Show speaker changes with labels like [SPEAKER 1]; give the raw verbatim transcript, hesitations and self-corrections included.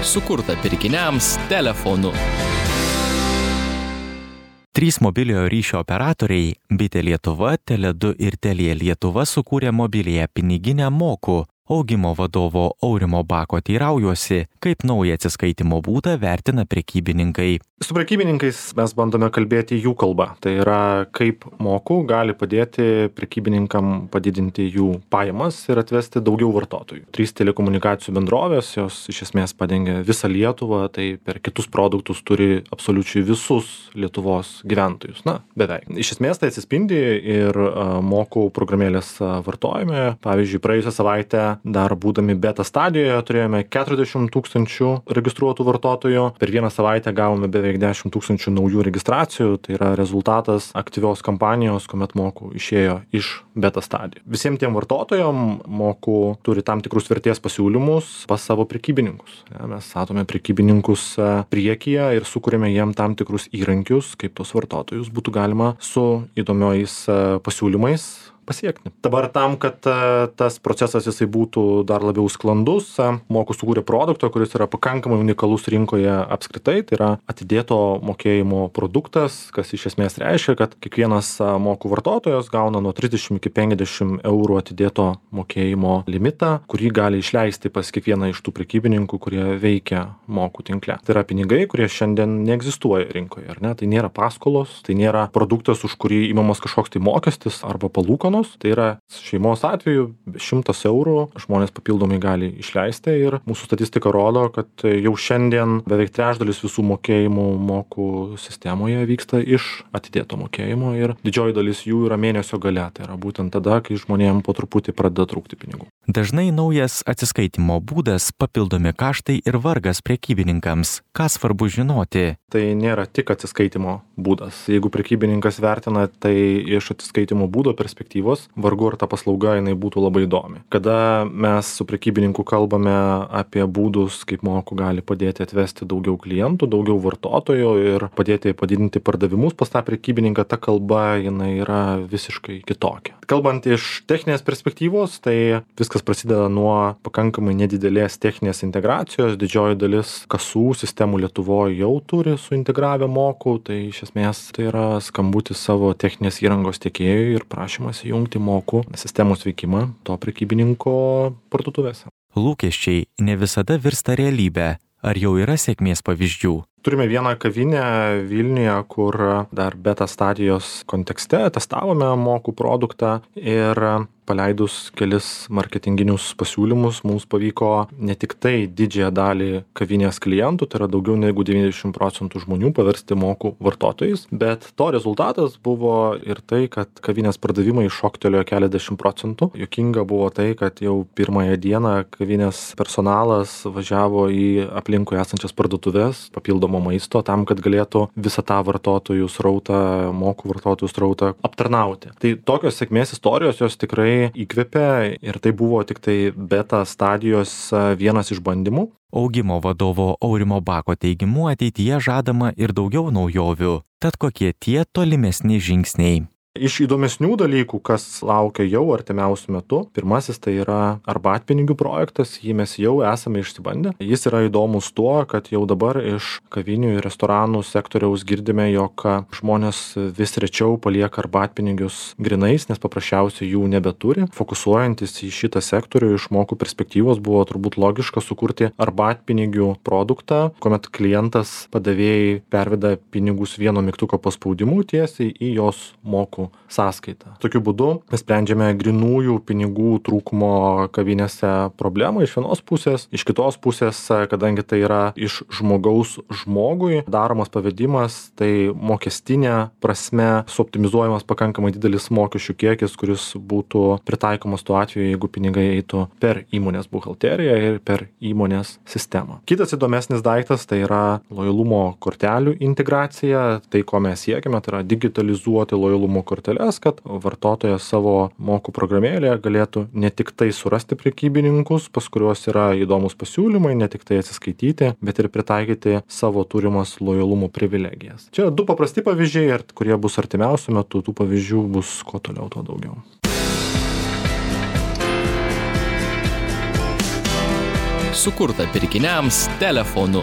[SPEAKER 1] sukurta pirkiniams telefonu.
[SPEAKER 2] Trys mobiliojo ryšio operatoriai Bitė Lietuva, Tele du ir Telia Lietuva sukūrė mobiliąją piniginę Moku. Augimo vadovo Aurimo Bako teiraujuosi, kaip naują atsiskaitimo būdą vertina prekybininkai.
[SPEAKER 3] Su prekybininkais mes bandome kalbėti jų kalbą. Tai yra, kaip Moku gali padėti prekybininkam padidinti jų pajamas ir atvesti daugiau vartotojų. Trys telekomunikacijų bendrovės, jos iš esmės padengia visą Lietuvą, tai per kitus produktus turi absoliučiai visus Lietuvos gyventojus. Na, beveik. Iš esmės tai atsispindi ir Moku programėlės vartojime. Pavyzdžiui, praėjusią savaitę dar būdami beta stadijoje turėjome keturiasdešimt tūkstančių registruotų vartotojų. Per vieną savaitę gavome beveik dešimt tūkstančių naujų registracijų. Tai yra rezultatas aktyvios kampanijos, kuomet Moku išėjo iš beta stadijų. Visiems tiem vartotojam Moku turi tam tikrus vertės pasiūlymus pas savo prekybininkus. Ja, mes statome prekybininkus priekyje ir sukūrėme jiem tam tikrus įrankius, kaip tos vartotojus būtų galima su įdomiais pasiūlymais pasiekti. Dabar tam, kad tas procesas jisai būtų dar labiau sklandus, Moku sukūrė produktą, kuris yra pakankamai unikalus rinkoje apskritai, tai yra atidėto mokėjimo produktas, kas iš esmės reiškia, kad kiekvienas Moku vartotojas gauna nuo trisdešimt iki penkiasdešimt eurų atidėto mokėjimo limitą, kurį gali išleisti pas kiekvieną iš tų prekybininkų, kurie veikia Moku tinkle. Tai yra pinigai, kurie šiandien neegzistuoja rinkoje, ar ne? Tai nėra paskolos, tai nėra produktas, už kurį imamas kažkoks tai mokestis arba palūkanos. Tai yra šeimos atveju šimtas eurų žmonės papildomai gali išleisti ir mūsų statistika rodo, kad jau šiandien beveik trečdalis visų mokėjimų Moku sistemoje vyksta iš atidėto mokėjimo ir didžioji dalis jų yra mėnesio gale. Tai yra būtent tada, kai žmonėm po truputį pradeda trūkti pinigų.
[SPEAKER 2] Dažnai naujas atsiskaitimo būdas, papildomi kaštai ir vargas prekybininkams. Ką svarbu žinoti?
[SPEAKER 3] Tai nėra tik atsiskaitimo būdas. Jeigu prekybininkas vertina tai iš atsiskaitimo būdo perspektyvos, vargu ar ta paslauga jinai būtų labai įdomi. Kada mes su prekybininku kalbame apie būdus, kaip Moku gali padėti atvesti daugiau klientų, daugiau vartotojų ir padėti padidinti pardavimus pas tą prekybininką, ta kalba jinai yra visiškai kitokia. Kalbant iš techninės perspektyvos, tai viskas prasideda nuo pakankamai nedidelės techninės integracijos. Didžioji dalis kasų sistemų Lietuvoje jau turi suintegravę Moku, tai iš esmės tai yra skambutis savo techninės įrangos tiekėjui ir prašymas įjungti Moku sistemos veikimą to prekybininko parduotuvėse.
[SPEAKER 2] Lūkesčiai ne visada virsta realybę. Ar jau yra sėkmės pavyzdžių?
[SPEAKER 3] Turime vieną kavinę Vilniuje, kur dar beta stadijos kontekste testavome Moku produktą ir paleidus kelis marketinginius pasiūlymus mums pavyko ne tik tai didžiąją dalį kavinės klientų, tai yra daugiau negu devyniasdešimt procentų žmonių paversti Moku vartotojais, bet to rezultatas buvo ir tai, kad kavinės pardavimai šoktelėjo keliasdešimt procentų. Juokinga buvo tai, kad jau pirmąją dieną kavinės personalas važiavo į aplinkui esančias parduotuvės papildomo maisto tam, kad galėtų visą tą vartotojų srautą, Moku vartotojų srautą aptarnauti. Tai tokios sėkmės istorijos jos tikrai įkvepia ir tai buvo tik tai beta stadijos vienas iš bandymų.
[SPEAKER 2] Augimo vadovo Aurimo Bako teigimu ateityje žadama ir daugiau naujovių. Tad kokie tie tolimesni žingsniai?
[SPEAKER 3] Iš įdomesnių dalykų, kas laukia jau artimiausiu metu, pirmasis tai yra arbatpinigių projektas, jį mes jau esame išsibandę. Jis yra įdomus tuo, kad jau dabar iš kavinių ir restoranų sektoriaus girdime, jog žmonės vis rečiau palieka arbatpinigius grinais, nes paprasčiausiai jų nebeturi. Fokusuojantis į šitą sektorių iš Moku perspektyvos buvo turbūt logiška sukurti arbatpinigių produktą, kuomet klientas padavėjai perveda pinigus vieno mygtuko paspaudimu tiesiai į jos Moku sąskaitą. Tokiu būdu mes sprendžiame grinųjų pinigų trūkumo kavinėse problemą iš vienos pusės, iš kitos pusės, kadangi tai yra iš žmogaus žmogui daromas pavedimas, tai mokestinė prasme suoptimizuojamas pakankamai didelis mokesčių kiekis, kuris būtų pritaikomas tuo atveju, jeigu pinigai eitų per įmonės buhalteriją ir per įmonės sistemą. Kitas įdomesnis daiktas tai yra lojalumo kortelių integracija. Tai, ko mes siekime, tai yra digitalizuoti lojalumo korteles, kad vartotojas savo Moku programėlėje galėtų ne tik tai surasti prekybininkus, pas kuriuos yra įdomus pasiūlymai, ne tik tai atsiskaityti, bet ir pritaikyti savo turimas lojalumo privilegijas. Čia du paprasti pavyzdžiai, kurie bus artimiausiu metu, tų pavyzdžių bus kuo toliau, tuo daugiau.
[SPEAKER 1] sukurtą pirkiniams telefonu.